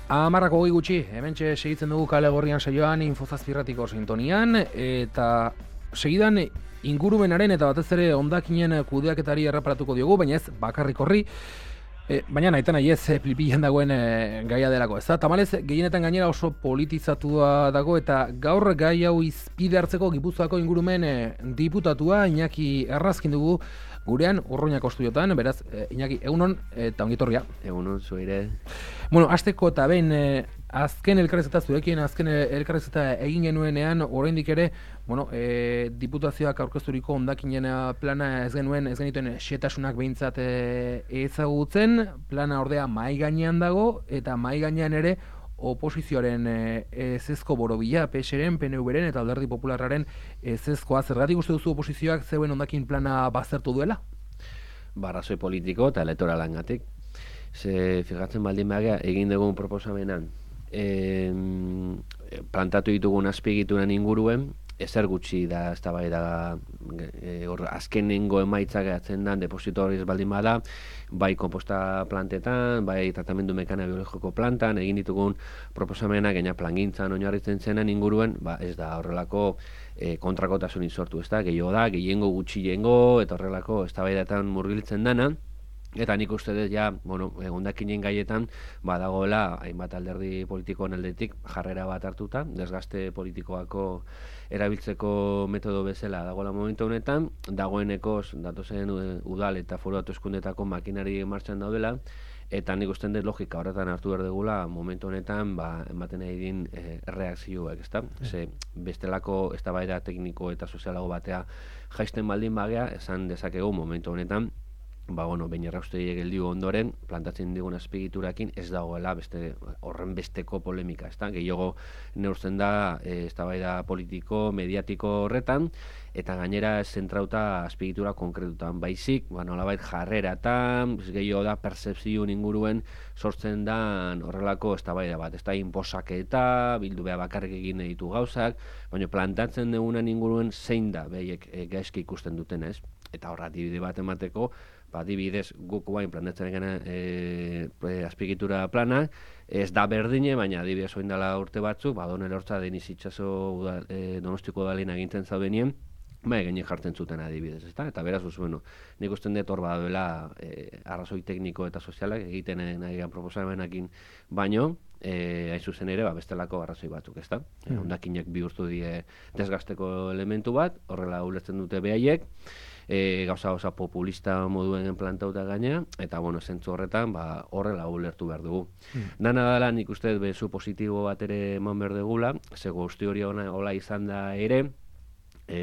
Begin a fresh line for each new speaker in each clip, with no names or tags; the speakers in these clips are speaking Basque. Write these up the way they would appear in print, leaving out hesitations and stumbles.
Amarrako hogei gutxi, hementxe segitzen dugu kale gorrian saioan Infozazpirratiko sintonian, eta segidan ingurumenaren eta batez ere hondakinen kudeaketari erreparatuko diogu, baina ez bakarrik horri, baina nahita nahi ez plipilan dagoen gaia delako, ez da? Tamalez, gehienetan gainera oso politizatua dago eta gaur gai hau izpide hartzeko Gipuzkoako ingurumen diputatua Iñaki Errazkin dugu gurean Urruñako estudiotan, beraz, Iñaki, egunon eta ongitorria.
Egunon, zuire.
Bueno, hasteko eta behin azken elkarrizketa zurekin, azken elkarrizketa egin genuenean, oraindik ere, bueno, diputazioak aurkezturiko hondakinen plana ez genituen xehetasunak behintzat ezagutzen, plana ordea mahai gainean dago, eta mahai gainean ere oposizioaren ezezko borobila, PSren, PNVren eta Alderdi Popularraren ezezkoa. Zergatik uste duzu oposizioak zeuen hondakin plana baztertu duela?
Arrazoi politiko eta elektoralangatik. Ze fijatzen baldin bagea egin dugun proposamenan plantatu ditugun azpiegituren inguruen, ezer gutxi da eztabaida azkenengo emaitzak geratzen dan depositoriz baldin bada, bai konposta plantetan, bai tratamendu mekana biologiko plantan, egin ditugun proposamenak gaina plangintzan oinarritzen zenen inguruen, ez da horrelako kontrakotasunik sortu, ez da, gehiengo gutxiengo, eta horrelako eztabaidatan murgiltzen dana. Eta nik uste dut ja, hondakinen gaietan badagoela hainbat alderdi politikoen aldetik jarrera bat hartuta, desgaste politikoako erabiltzeko metodo bezala dagoela momentu honetan, dagoeneko datozen udal eta foru hauteskundetako makinari martxan daudela, eta nik uste dut logika horretan hartu behar dugula momentu honetan ematen nahi din erreakzioak, ezta? Ze bestelako eztabaida tekniko eta sozialago batea jaisten baldin bagea, esan dezakegu momentu honetan, behin erraustegiek geldiu ondoren, plantatzen digun azpiegiturakin ez dagoela horren besteko polemika, ezta? Gehiago neurtzen da eztabaida politiko, mediatiko horretan, eta gainera zentrauta azpiegitura konkretutan baizik, nolabait jarreratan, gehiago da percepzio inguruen sortzen da horrelako eztabaida bat, ez da inposaketa, bildu behar bakarrik egin ditu gauzak, baina plantatzen dugunan inguruen zein da behiek gaizki ikusten duten, ez? Eta horra adibide bat emateko, adibidez guk guain plantatzen gana azpiegitura plana, ez da berdine, baina adibidez oin dela urte batzuk, Donel Hortza Deniz Itxaso Donostiko udalena egintzen zaudenien, gainek jartzen zuten adibidez, ezta? Eta beraz, nik usten dut hor badaudela arrazoi tekniko eta sozialak egiten nahian proposamenakin baino, hain zuzen ere, bestelako arrazoi batzuk, ezta? Hondakinek bihurtu die desgasteko elementu bat, horrela ulertzen dute behaiek, gauza populista moduen plantauta gaina, eta zentzu horretan horrela ulertu behar dugu. Dana dela nik uste bezu positibo bat ere eman behar dugula, ze guzti hori hola izan da ere,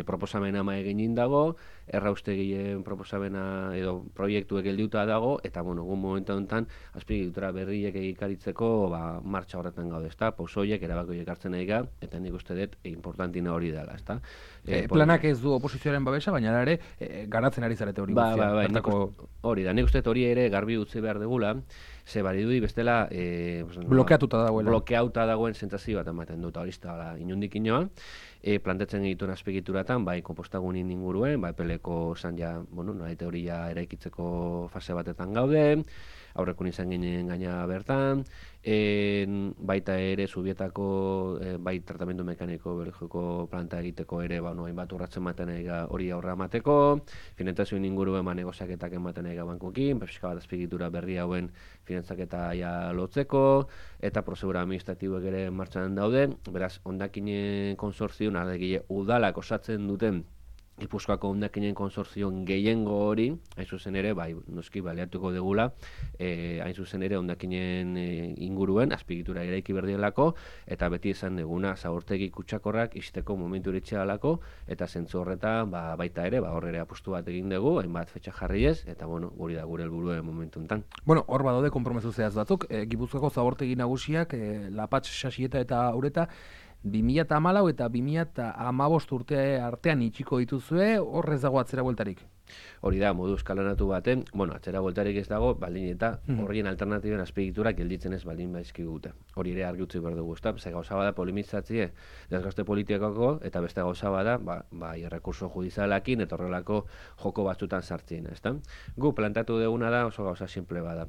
proposamena egin dago, erraustegien proposamena edo proiektuek geldiuta dago, eta egun momentu honetan azpiegitura berriek egikaritzeko martxa horretan gaude, ezta? Pausoiek, erabakoiek hartzen nahi ga, eta nik uste dut importantina hori dela, ezta?
Planak ez du oposizioaren babesa, baina ere garatzen ari zarete hori guztia.
Hori da, nik uste dut hori ere garbi utzi behar degula, ze baridudi bestela
blokeatuta
dagoen sentsazio bat ematen dut, hori da inundik inoa, plantetzen egituen azpiegituratan, konpostagunin inguruen, epeleko zan ja, nahi teoria eraikitzeko fase batetan gaude, aurrekun izan ginen gaina bertan, baita ere Zubietako bai tratamendu mekaniko biologiko planta egiteko ere hainbat urratzen ematen hori aurra emateko, finantzazioen inguruen negoziaketak ematen bankuekin, pixka bat azpiegitura berri hauen finantzaketa lotzeko, eta prozedura administratiboek ere martxan daude, beraz, hondakinen konsortzioen ardegile udalak osatzen duten Gipuzkoako hondakinen konsortzioen gehiengo hori, hain zuzen ere, noski baliatuko degula, hain zuzen ere hondakinen inguruen, azpiegitura eraiki berdielako, eta beti esan deguna, zabortegi kutsakorrak izteko momentu iritsi dalako, eta zentzu horretan, baita ere, hor ere apustu bat egin dugu, hainbat fetxa jarri ez, eta guri da gure helburuen momentu enten.
Hor badaude konpromezu zehaz batzuk, Gipuzkoako zabortegi nagusiak, Lapatx, Sasieta eta Ureta, 2014 eta 2015 urte artean itxiko dituzue, horrez dago atzera bueltarik?
Hori da, modu eskalanatu baten, atzera voltarik ez dago, baldin eta horien alternatiben azpegiturak gelditzen ez baldin baizkigute. Hori ere argi utzi behar dugu, ze gauza bada polimizatzie desgaste politikako, eta beste gauza bada, errekurso judizialakin eta horrelako joko batzutan sartzen, ezta? Gu plantatu duguna da oso gauza simple bada.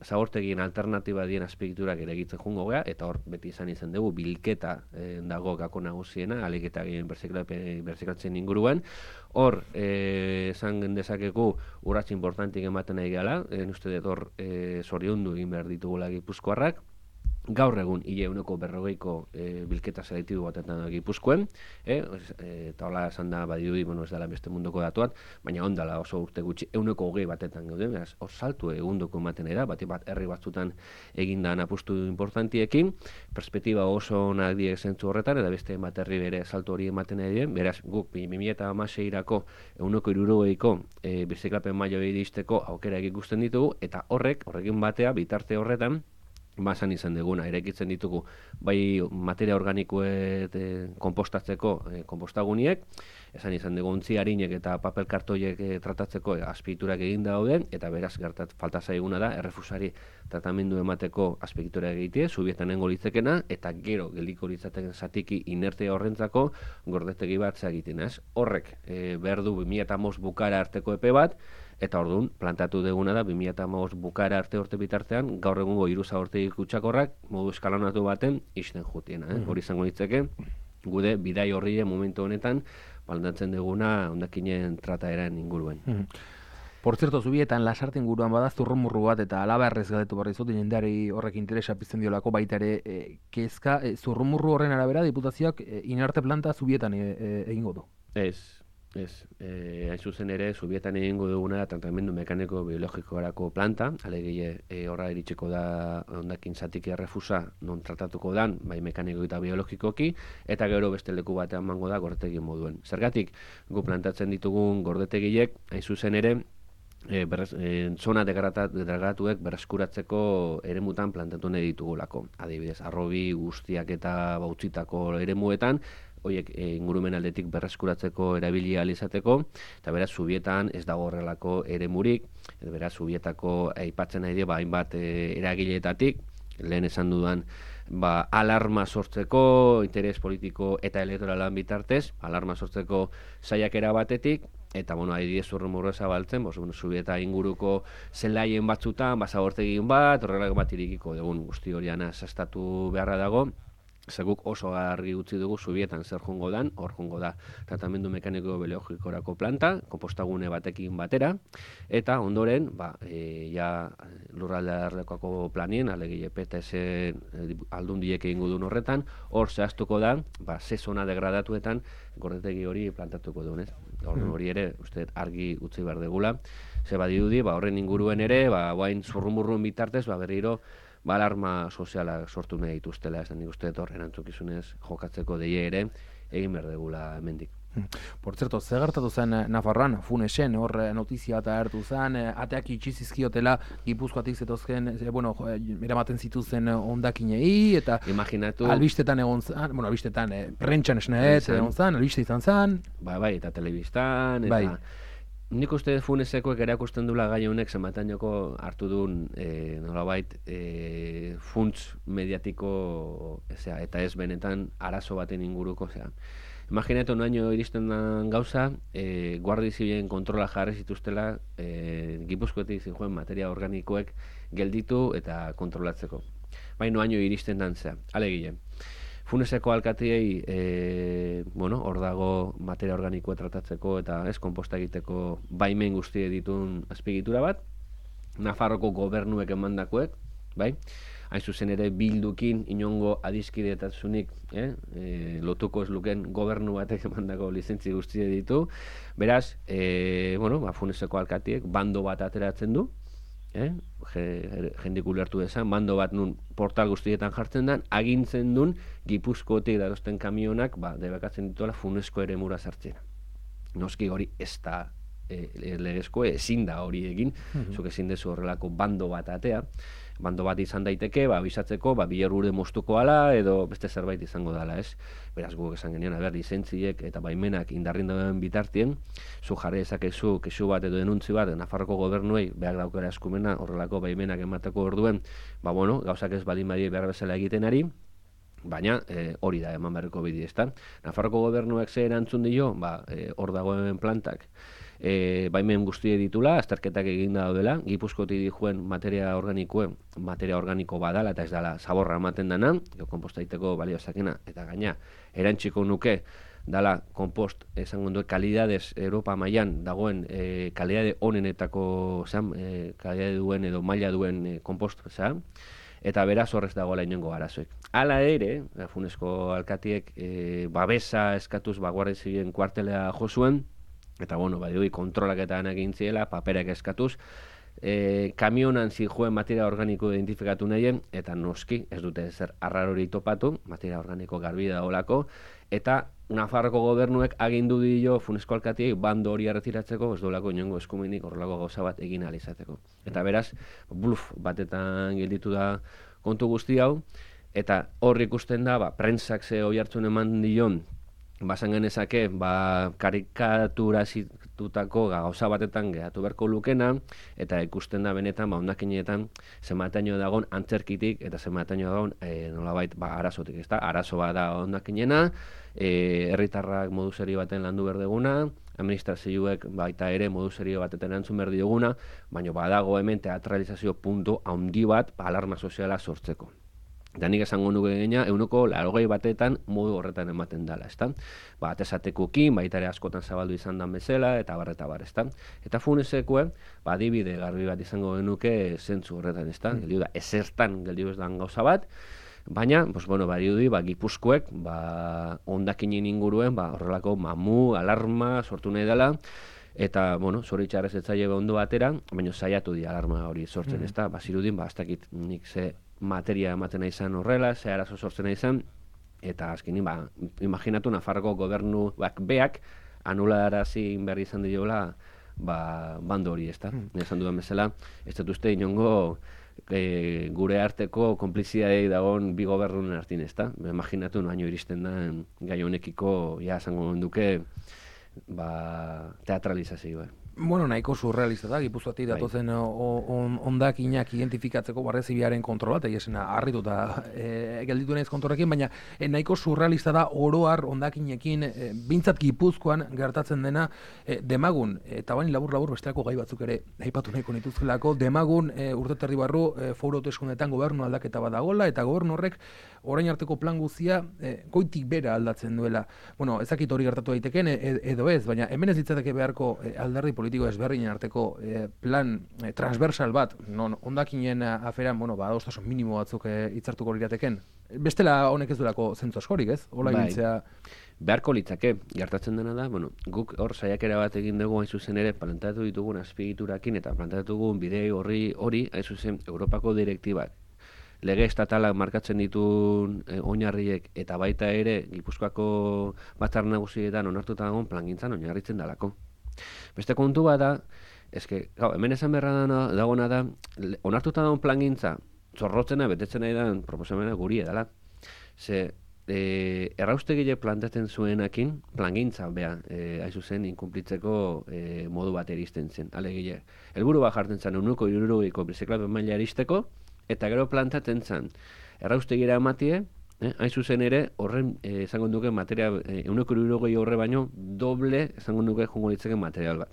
Zabortegien alternatiba dien azpegiturak ere egitzen jungo gea, eta hor beti izan dugu bilketa dago gako nagusiena, aliketa gehien berziklatzen inguruan. Hor, esan dezakegu urrats importantik ematen nahi gala, uste dut hor zoriondu egin behar ditugula Gipuzkoarrak. Gaur egun, hile 40ko bilketa selektibo batetan Gipuzkoen, eta hola esan da badirudi, ez dela beste munduko datuat, baina ondala oso urte gutxi 20 batetan gauden, beraz, hor saltu egunduko ematen da, bat herri batzutan egindan apustu importantiekin, perspektiba oso onak diek zentzu horretan, eta beste bat herri bere saltu hori ematen dien, beraz, guk 2016ko 160ko birziklapen maila iristeko aukera ikusten ditugu, eta horrekin batea, bitarte horretan, basan izan duguna, eraikitzen ditugu bai materia organikoet konpostatzeko konpostaguniek, esan izan dugu ontzi harinek eta papel kartoiek tratatzeko azpieiturak egin dauden, eta beraz falta zaiguna da, errefusari tratamendu emateko azpieitura egitea, subietan nengo litzekena, eta gero geldiko litzateken zatiki inerte horrentzako gordetegi bat egiten, ez? Horrek behar du 2005 bukara arteko epe bat, eta orduan, plantatu duguna da, 2005 bukara arte urte bitartean, gaur egungo 3 zabortegi kutsakorrak modu eskalanatu baten isten jutiena. Hori izango litzeke, gude bidai horri momentu honetan, plantatzen duguna hondakinen trataeran inguruen.
Por cierto, zubietan lasarte inguruan bada zurrumurru bat eta alabarrez galdetu barri zut, jendeari horrek interesa pizten diolako baita ere kezka, zurrumurru horren arabera diputazioak inarte planta zubietan egingo du.
Hain zuzen ere, zubietan egingo duguna tratamendu mekaniko biologikorako planta, alegia horra iritsiko da hondakin zatik errefusa non tratatuko dan, bai mekaniko eta biologikoki, eta gero beste leku batean mango da gordetegi moduen. Zergatik, gu plantatzen ditugun gordetegiek, hain zuzen ere, zona degradatuek berreskuratzeko eremutan plantatu nahi ditugulako. Adibidez, arrobi guztiak eta bautzitako eremuetan, horiek ingurumen aldetik berreskuratzeko erabili ahal izateko, eta beraz, zubietan ez dago horrelako eremurik, beraz, zubietako aipatzen nahi dira, hainbat eragileetatik, lehen esan dudan, alarma sortzeko, interes politiko eta elektoralan bitartez, alarma sortzeko saiakera batetik, eta, adibidez zurrumurru zabaltzen, zubieta inguruko zelaien batzutan, zabortegin bat, horrelak bat irikiko dugun guzti horian azastatu beharra dago, zeguk oso argi utzi dugu zubietan zer jungo dan, hor jungo da tratamendu mekaniko biologikorako planta, konpostagune batekin batera, eta ondoren, lurralde arlekoako planien, alegia PTS aldundiek egingo duen horretan, hor zehaztuko da, ze zona degradatuetan gordetegi hori plantatuko duen, hori ere, uste argi utzi behar degula, ze badirudi, horren inguruen ere, guain zurrumurruen bitartez, berriro, alarma soziala sortu nahi dituztela, ez da nik uste hor erantzukizunez jokatzeko deie ere, egin behar degula hemendik.
Por cierto, ze gertatu zen Nafarroan, Funesen, hor notizia eta hartu zen, ateak itxizizkiotela Gipuzkoatik zetozken, eramaten zituzen hondakinei, eta
imaginatu,
albistetan egon zen, albistetan, prentxan esneet egon zen, albiste izan zen.
Bai, eta telebistan, eta... Nik uste Funesekoek erakusten dula gai honek zenbatainoko hartu duen nolabait funts mediatiko eta ez benetan arazo baten inguruko. Imaginatu noaino iristen den gauza, Guardia Zibilen kontrola jarri zituztela Gipuzkoetik zinjoen materia organikoek gelditu eta kontrolatzeko. Baina noaino iristen den zea, alegile. Funeseko alkatiei, hor dago materia organikoa tratatzeko eta ez konposta egiteko baimen guztie ditun azpiegitura bat, Nafarroko gobernuek emandakoek, bai? Hain zuzen ere bildukin inongo adiskidetatzunik lotuko ez luken gobernu batek emandako lizentzi guztie ditu, beraz, Funeseko alkatiek bando bat ateratzen du, jendik ulertu dezan, bando bat nun portal guztietan jartzen den, agintzen duen Gipuzkoetik darosten kamionak debekatzen dituela Funesko eremura sartzen. Noski hori ez da legezko ezin da hori egin, zuk ezin dezu horrelako bando bat atea, bando bat izan daiteke, bisatzeko, bilerrure moztuko ala, edo beste zerbait izango dela, ez? Beraz, guk esan genion, lizentziek eta baimenak indarrin dauden bitartien, zu jarri ezakezu kesu bat edo denuntzi bat, Nafarroko gobernuei behar daukera eskumena, horrelako baimenak emateko orduen, gauzak ez badin behar bezala egiten ari, baina hori da eman beharreko bide, ezta? Nafarroko gobernuak ze erantzun dio, hor dagoen plantak, baimen guztie ditula, azterketak eginda daudela, Gipuzkotik dijuen materia organiko badala, eta ez dela zaborra ematen dana, konpostaiteko balio zakena, eta gaina, erantziko nuke, dala kompost, esango duen, kalidadez Europa mailan dagoen kalidade onenetako, kalidade duen edo maila duen kompost, eta beraz horrez dagoela inongo arazoek. Hala ere, Funesko alkatiek babesa eskatuz Guardia Zibilen kuartelea jo zuen, eta badioi kontrolaketan egin ziela, paperak eskatuz, kamionan zijoen materia organiko identifikatu nahien, eta noski, ez dute zer arrarori topatu, materia organiko garbi da olako, eta Nafarroko gobernuek agindu dio Funesko alkatiek bando hori erretiratzeko, ez dolako inongo eskumenik horrelako gauza bat egin alizateko. Eta beraz, bluff batetan gelditu da kontu guzti hau, eta hor ikusten da, prentsak ze hoi hartzun eman dion, basan genezake, karikatura zitutako gauza batetan gehatu beharko lukena, eta ikusten da benetan, ondakinetan, zenbataino dagoen antzerkitik, eta zenbataino dagoen, nolabait, arazotik, ezta? Arazo bat da ondakinena, herritarrak modu serio baten landu berdeguna, administrazioek baita ere modu serio batetan erantzun berdi duguna, baina badago hemen teatralizazio puntu handi bat alarma soziala sortzeko. Eta nik esango nuke gaina, 80 batetan modu horretan ematen dela, ezta? Atesatekukin, baita ere askotan zabaldu izan dan bezala, eta bar, ezta? Eta Funesekue, adibide garbi bat izango genuke zentzu horretan, ezta? Geldiu da, ezertan geldiu ez dan gauza bat, baina, badiudi, Gipuzkoek, hondakinen inguruen, horrelako mamu, alarma, sortu nahi dela, eta, zoritxarrez etzaile ondo batera, baina saiatu di alarma hori sortzen, ezta? Zirudin, ez dakit nik ze materia ematen nahi izan horrela, ze arazo sortzen nahi izan, eta azkenin, imaginatu Nafarroko gobernu beak anularazi behar izan diola bando hori, ezta? Esan dudan bezala, ez dut uste inongo gure arteko konplizidadei dagoen bi gobernunen artin, ezta? Imaginatu noaino iristen da gai honekiko, esango duke, teatralizazioa.
Nahiko surrealista da, Gipuzkoatik datozen hondakinak identifikatzeko Guardia Zibilaren kontrola, eta esena harrituta gelditu naiz kontorrekin, baina nahiko surrealista da oroar hondakinekin, bintzat Gipuzkoan gertatzen dena demagun, eta baina labur bestelako gai batzuk ere aipatu nahiko nituzkelako, demagun urte terdi barru foru hauteskundeetan gobernu aldaketa bat dagoela, eta gobernu horrek orain arteko plan guztia goitik bera aldatzen duela. Ez dakit hori gertatu daiteken edo ez, baina hemen ez ditzateke beharko alderdi politiko ezberdinen arteko plan transversal bat, non hondakinen aferan, adostasun minimo batzuk hitzartuko lirateken. Bestela honek ez duelako zentzu askorik, ez? Hola ibiltzea.
Beharko litzake, gertatzen dena da, guk hor saiakera bat egin dugu hain zuzen ere planteatu ditugun azpiegiturakin eta planteatu dugun bide hori hain zuzen Europako direktibak. Lege estatalak markatzen dituen oinarriek eta baita ere Gipuzkoako batzar nagusietan onartuta dagoen plangintzan oinarritzen dalako. Beste kontu bat da, hemen esan beharra dagoena da, onartuta dagoen plangintza, zorrotzena, betetzen nahi da, proposamena guri edala. Ze, erraustegile plantatzen zuenakin, plangintza, hain zuzen, inkumplitzeko modu bat eristen zen. Alegile, helburu bat jartzen zen, 160ko biziklapen maila eristeko, eta gero plantatzen zen, erraustegira ematie, hain zuzen ere, horren, esango duke, materia, 160 horre baino, doble, esango duke, jongo ditzeken material bat.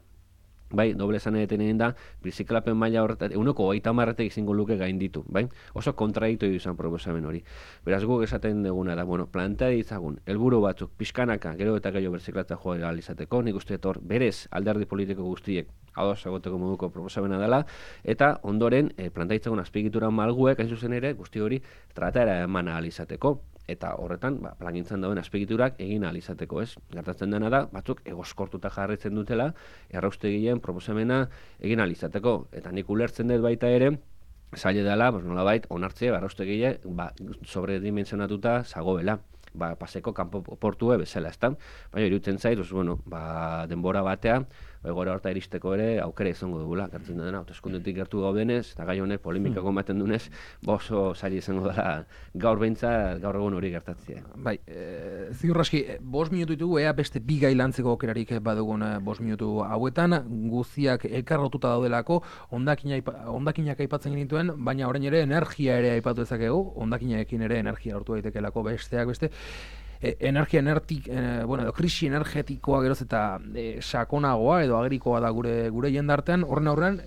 Bai, doble esan egiten da, biziklapen maila horretat, 150 izango luke gainditu, bai? Oso kontraditu izan proposamen hori. Beraz guk esaten duguna da, planta ditzagun, helburu batzuk, pixkanaka, gero eta gehiago biziklata joa izateko, nik uste etor, berez alderdi politiko guztiek, ados egoteko moduko proposamena dela, eta ondoren, planta ditzagun azpiegitura malguek, hain zuzen ere, guzti hori, tratara eman ahal izateko. Eta horretan, plangintzan dauen azpegiturak egin ahal izateko, ez? Gertatzen dena da, batzuk egoskortuta jarraitzen dutela, erraustegileen proposamena egin ahal izateko. Eta nik ulertzen dut baita ere, zaila dela, nolabait, onartzea, erraustegile, sobredimensionatuta zagoela. Paseko kanpo portue bezala, ezta? Baina irutzen zait, denbora batea, egoera horta iristeko ere aukera izango dugula, gertzen dena, hauteskundetik gertu gaudenez, eta gai honek polemikako ematen dunez, oso zaila izango dela gaur egun hori gertatzea.
Bai, ziur aski, 5 minutu ditugu, beste bi gai lantzeko aukerarik badugun 5 minutu hauetan, guztiak elkarrotuta daudelako, hondakinak aipatzen genituen, baina orain ere energia ere aipatu dezakegu, hondakinaekin ere energia lortu daitekelako besteak beste, krisi energetikoa geroz eta sakonagoa edo agrikoa da gure jendartean, horren aurrean,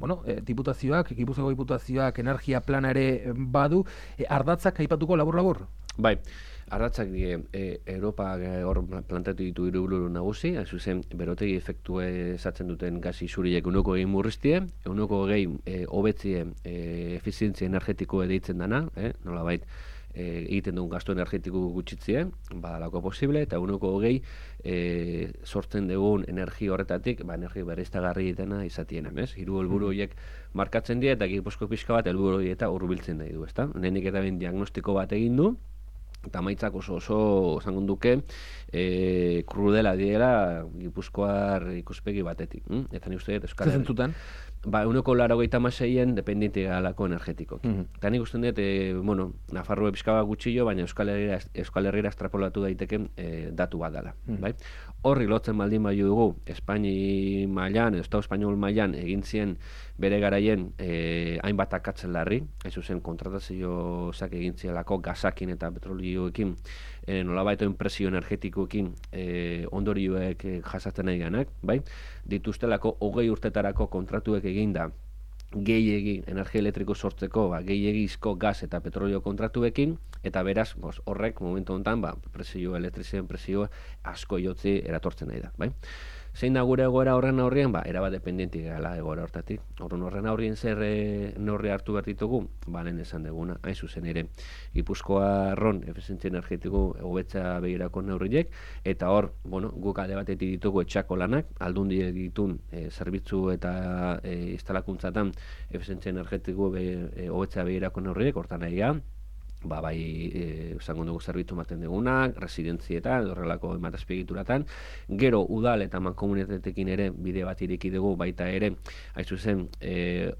Gipuzkoako diputazioak energia plana ere badu, ardatzak aipatuko labur-labur?
Bai, ardatzak Europa hor plantatu ditu 3 helburu nagusi, hain zuzen berotegi efektue esatzen duten gas isuriek 1,20 murriztie, 1,20 hobetzie efizientzia energetikoa deitzen dana, nolabait egiten duen gastu energetiko gutxitzie, badalako posible, eta 1,20 sortzen dugun energia horretatik, energia berriztagarri ditena izatiena, ez? 3 helburu horiek markatzen dira, eta Gipuzko pixka bat helburu horiek eta hurbiltzen nahi du, ezta? Lehenik eta behin diagnostiko bat egin du, eta maitzak oso esango duke krudela diela Gipuzkoar ikuspegi batetik. Eta ni uste dut Euskal Herri.
Zentzutan?
1,86 dependiente galako energetikoki. Eta nik uste dut, Nafarroa pixka bat gutxillo, baina Euskal Herrira estrapolatu daiteken datu bat dela. Horri lotzen baldin bai dugu, Espaini mailan, Estado Espainol mailan egin zien bere garaien hainbat akatzen larri, ez zuzen kontratazio zak egin zielako gazakin eta petrolioekin, nolabaitoen presio energetikoekin ondorioek jasatzen nahi ganak, bai? Dituztelako 20 urtetarako kontratuek eginda gehiegi energia elektriko sortzeko, gehiegizko gas eta petrolio kontratuekin, eta beraz, horrek momentu honetan, elektrizien presio asko jotzi eratortzen nahi da, bai? Zein da gure egoera horren aurrien? Erabat dependientik gala egoera hortatik. Horren aurrien zer neurri hartu behar ditugu? Lehen esan duguna, hain zuzen ere. Gipuzkoarron efizientzia energetiko hobetza begirako neurriek, eta hor, guk alde batetik ditugu etxako lanak, aldundi ditun zerbitzu eta instalakuntzatan efizientzia energetiko hobetza begirako neurriek, hortan nahi esango dugu zerbitzu ematen dugunak, residentzietan, horrelako ematazpiegituratan, gero udal eta mankomunitatekin ere bide bat ireki dugu baita ere, hain zuzen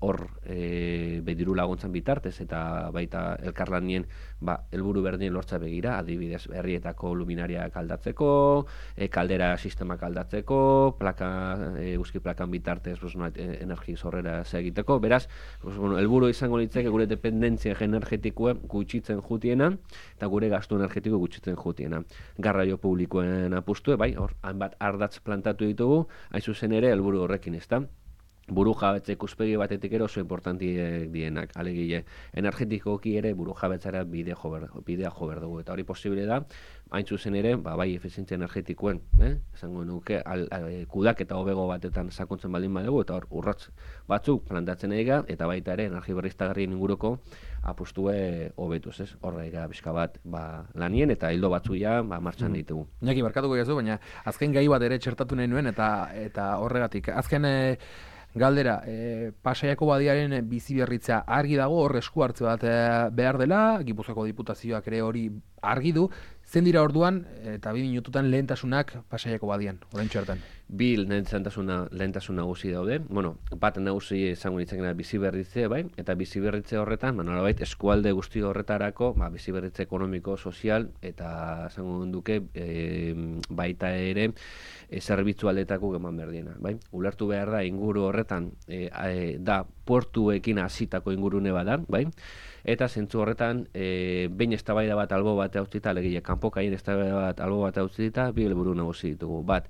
hor bediru laguntzan bitartez eta baita elkarlanien helburu berdinen lortza begira, adibidez herrietako luminariak aldatzeko, kaldera sistemak aldatzeko, eguzki plakan bitartez energi zorrera egiteko, beraz, helburu izango litzake gure dependentzia energetikoa gutxitzen jutiena, eta gure gastu energetiko gutxitzen jutiena. Garraio publikoen apustu, hor, hainbat ardatz plantatu ditugu, hain zuzen ere, helburu horrekin, ezta? Buru jabetza ikuspegi batetik ere oso importantiek dienak, alegile, energetikoki ere buru jabetzara bidea jo behar dugu, eta hori posible da, hain zuzen ere, bai efizientzia energetikoen, esango nuke, kudak eta hobego batetan sakontzen baldin badugu, eta hor urratz batzuk plantatzen eiga, eta baita ere energia berriztagarrien inguruko apustue hobetuz, ez? Horrega bizka bat lanien, eta hildo batzu martxan ditugu.
Iñaki, barkatuko jazu, baina azken gai bat ere txertatu nahi nuen, eta horregatik. Azken galdera, Pasaiako badiaren bizi berritza argi dago, hor esku hartze bat behar dela, Gipuzkoako diputazioak ere hori argi du, zen dira orduan, eta 2 minututan lehentasunak Pasaiako badian, orain txertan?
Bi lehentasun nagusi daude, bat nagusi izango nitzakena bizi berritze, bai, eta bizi berritze horretan, nolabait eskualde guzti horretarako, bizi berritze ekonomiko, sozial, eta izango duke baita ere zerbitzu aldetako eman berdiena, bai. Ulertu behar da inguru horretan da portuekin hasitako ingurune badan, bai. Eta zentzu horretan, behin eztabaida bat albo bat hautzita, alegile, kanpokaien eztabaida bat albo bat hautzita, bi helburu nagusi ditugu. Bat,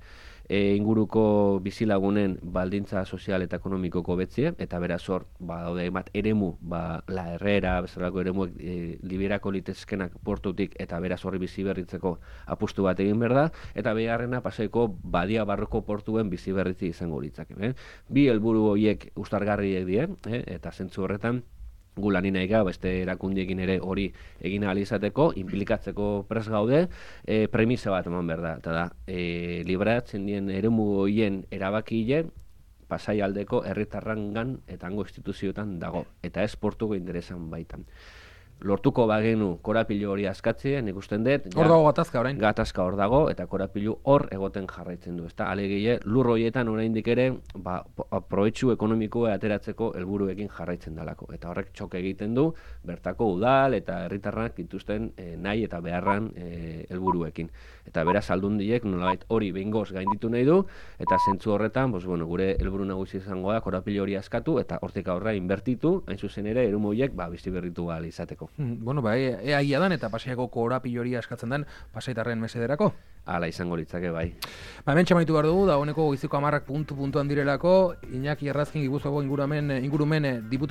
inguruko bizilagunen baldintza sozial eta ekonomikoko betzie, eta beraz hor, daude bat eremu, la herrera, bezalako eremuek liberako litezkenak portutik, eta beraz horri bizi berritzeko apustu bat egin behar da, eta beharrena Pasaiko badia barroko portuen bizi berritzi izango litzake. Bi helburu horiek ustargarriek die, eta zentzu horretan, gu lanin nahi beste erakundiekin ere hori egin ahal izateko, inplikatzeko pres gaude, premisa bat eman behar da, eta da, libratzen dien eremu horien erabakile, Pasai aldeko herritarrangan eta hango instituzioetan dago, eta ez portuko interesan baitan. lortuko bagenu korapilu hori askatzea, nik usten dut.
Hor dago gatazka orain.
Gatazka hor dago, eta korapilu hor egoten jarraitzen du. Alegie, lur horietan oraindik ere, proetxu ekonomikoa ateratzeko helburuekin jarraitzen dalako. Eta horrek txoke egiten du, bertako udal eta herritarrak dituzten nahi eta beharran helburuekin. Eta beraz aldundiek nolabait hori behingoz gainditu nahi du, eta zentzu horretan, gure helburu nagusi izango da korapilu hori askatu, eta hortik aurra inbertitu, hain zuzen ere, erumu horiek bizi berritu ahal izateko.
Bueno, egia dan eta Pasaiako korapilu hori askatzen den pasaitarren mesederako.
Hala izango litzake bai.
Hemen txamaitu behar dugu, dagoeneko goizeko 10 puntuan direlako, Iñaki Errazkin Gipuzkoako ingurumen diputatu